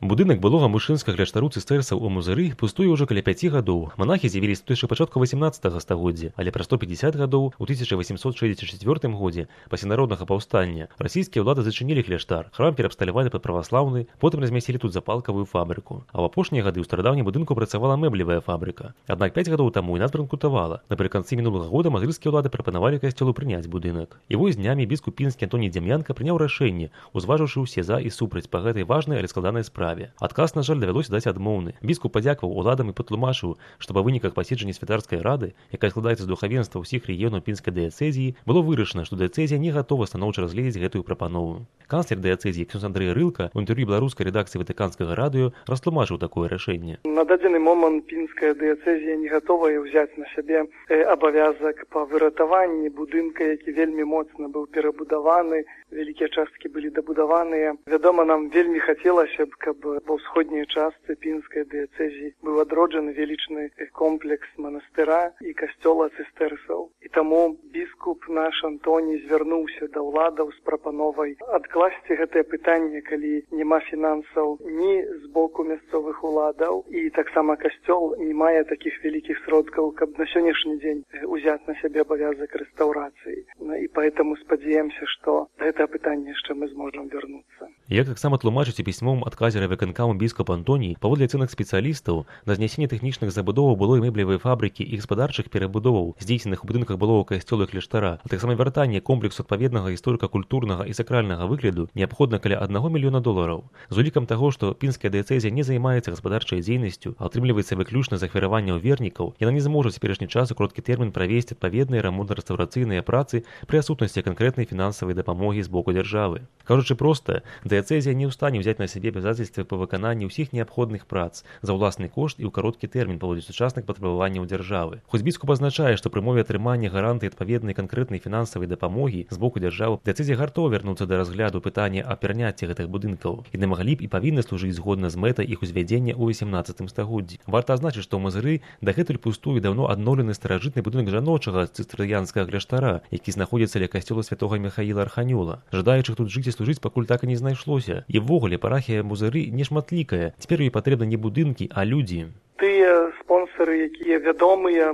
Будынак былога мужчынскага кляштару цыстэрцаў у Музыры пустуе ўжо каля 5 гадоў. Манахі з'явіліся тут яшчэ пачатку 18 стагоддзя, але праз 150 гадоў у 1864 годзе пасля народнага паўстання расійскія ўлады зачынілі кляштар, храм перабсталявалі пад праваслаўны, потым размясцілі тут запалкавую фабрыку. А ў апошнія гады ў старадаўнім будынку працавала мэблевая фабрыка. Аднак 5 гадоў таму і нас банкрутавала. Напрыканцы мінулага года мазырскія ўлады прапанавалі касцёлу прыняць будынак. І вось днямі біскуп пінскі Антоній Дзям'янка прыняў рашэнне, узважыўшы ўсе за і супраць па гэтай важнай, але складанай справе. Адказ, на жаль, давялося даць адмоўны. Біскуп падзякаваў уладам і патлумачыў, што па выніках паседжання святарскай рады, якая складаецца з духавенства ўсіх рэгіёнаў пінскай дыяцэзіі, было вырашана, што дыяцэзія не гатова станоўча разгледзець гэтую прапанову. Канцлер дыяцэзіі ксёндз Андрэй Рылка ў інтэрв'ю беларускай рэдакцыі ватыканскага радыё растлумачыў такое рашэнне. На дадзены момант пінская дыяцэзія не гатовая ўзяць на сябе абавязак па выратаванні будынка, які вельмі моцна быў перабудаваны, вялікія часткі былі дабудаваныя. Вядома, нам вельмі хацелася б, каб ва ўсходняй частцы пінскай дыяцэзіі быў адроджаны велічны комплекс манастыра і касцёла цыстэрцаў. І таму біскуп наш Антоній звярнуўся да ўладаў з прапановай адкласці гэтае пытанне, калі няма фінансаў ні з боку мясцовых уладаў, і таксама касцёл не мае такіх вялікіх сродкаў, каб на сённяшні дзень узяць на сябе абавязак рэстаўрацыі. І поэтому спадзяемся, што гэтае пытанне яшчэ мы зможам вярнуцца. Як таксама тлумачыць у пісьмовым адказе райвыканкаму біскуп Антоній, паводле ацэнак спецыялістаў, на знясенне тэхнічных забудоваў былой мэблевай фабрыкі і гаспадарчых перабудоваў, здзейсненых у будынках былога касцёла і кляштара, а таксама вяртанне комплексу адпаведнага гісторыка-культурнага і сакральнага выгляду неабходна каля $1 мільёна. З улікам таго, што пінская дыяцэзія не займаецца гаспадарчай дзейнасцю, а атрымліваецца выключна з ахвяраванняў вернікаў, яна не зможа ў цяперашні час у кароткі тэрмін правесці адпаведныя рамонтна-рэстаўрацыйныя працы пры адсутнасці канкрэтнай фінансавай дапамогі з боку дзяржавы. Кажучы проста, дыяцэзія не ў стане ўзяць на сябе абавязацельствы па выкананні ўсіх неабходных прац за ўласны кошт і ў кароткі тэрмін паводле сучасных патрабаванняў дзяржавы. Хоць біскуп азначае, што пры мове атрымання гарантыі адпаведнай канкрэтнай фінансавай дапамогі з боку дзяржавы, дыяцэзія гатова вярнуцца да разгляду пытання аб пераняцці гэтых будынкаў. Яны маглі б і павінны служыць згодна з мэтай іх узвядзення ў 18 стагоддзі. Варта адзначыць, што ў Мазыры дагэтуль пустуе даўно адноўлены старажытны будынак жаночага цыстэрыянскага кляштара, які знаходзіцца ля касцёла святога Міхаіла Арханёла. Жадаючых тут жыць і служыць пакуль так і не знайшлося. І ввогуле парафія Музыры нешматлікая. Цяпер ёй патрэбны не будынкі, а людзі. Тыя спонсары, якія вядомыя,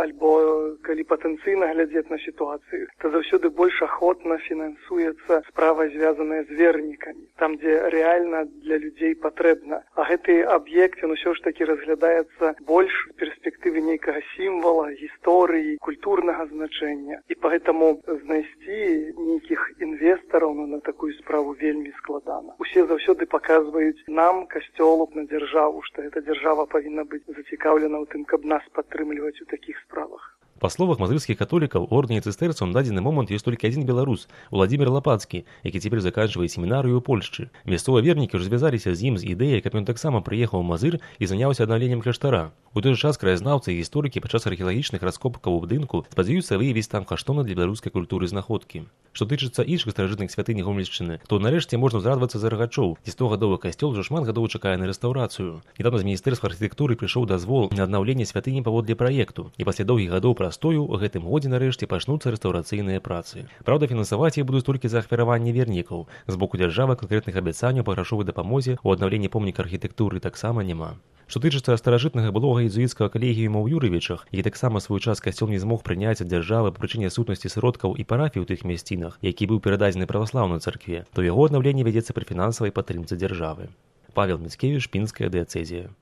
альбо калі патэнцыйна глядзець на сітуацыю, то заўсёды больш ахвотна фінансуецца справа, звязаная з вернікамі, там, дзе рэальна для людзей патрэбна. А гэты аб'ект, ён усё ж такі разглядаецца больш з перспектывы нейкага сімвала, гісторыі, культурнага значэння. І поэтому знайсці нейкіх інвестараў на такую справу вельмі складана. Усе заўсёды паказваюць нам, касцёлу, на дзяржаву, што гэта дзяржава павінна быць зацікаўлена ў тым, каб нас падтрымліваць у такіх справах. Па словах мазырскіх католікаў, у ордэне цыстэрцаў на дадзены момант ёсць толькі адзін беларус, Уладзімір Лапацкі, які цяпер заканчвае семінарыю ў Польшчы. Мясцовыя вернікі ўжо звязаліся з ім з ідэяй, каб ён таксама прыехаў у Мазыр і заняўся аднаўленнем кляштара. У той жа час краязнаўцы і гісторыкі падчас археалагічных раскопкаў у будынку спадзяюцца выявіць там каштоўны для беларускай культуры знаходкі. Што тычыцца іншых старажытных святынь Гомельшчыны, то нарэшце можна ўзрадавацца за рагачоў. 100-гадовы касцёл ўжо шмат гадоў чакае на рэстаўрацыю. Нядаўна з міністэрства архітэктуры прыйшоў дазвол на аднаўленне святыні паводле праекту, і пасля доўгіх гадоў прастою у гэтым годзе нарэшце пачнуцца рэстаўрацыйныя працы. Праўда, фінансаваць іх будуць толькі за ахвяраванне вернікаў. З боку дзяржавы канкрэтных абяцанняў па грашовай дапамозе ў аднаўленні помніка архітэктуры таксама няма. Што тычыцца старажытнага былога езуіцкага калегіума ў Юрывічах, які таксама свой час касцёл не змог прыняць ад дзяржавы па прычыне адсутнасці сродкаў і парафій у тых мясцінах, які быў перададзены праваслаўнай царкве, то яго аднаўленне вядзецца пры фінансавай падтрымцы дзяржавы. Павел Міцкевіч, пінская дыяцэзія.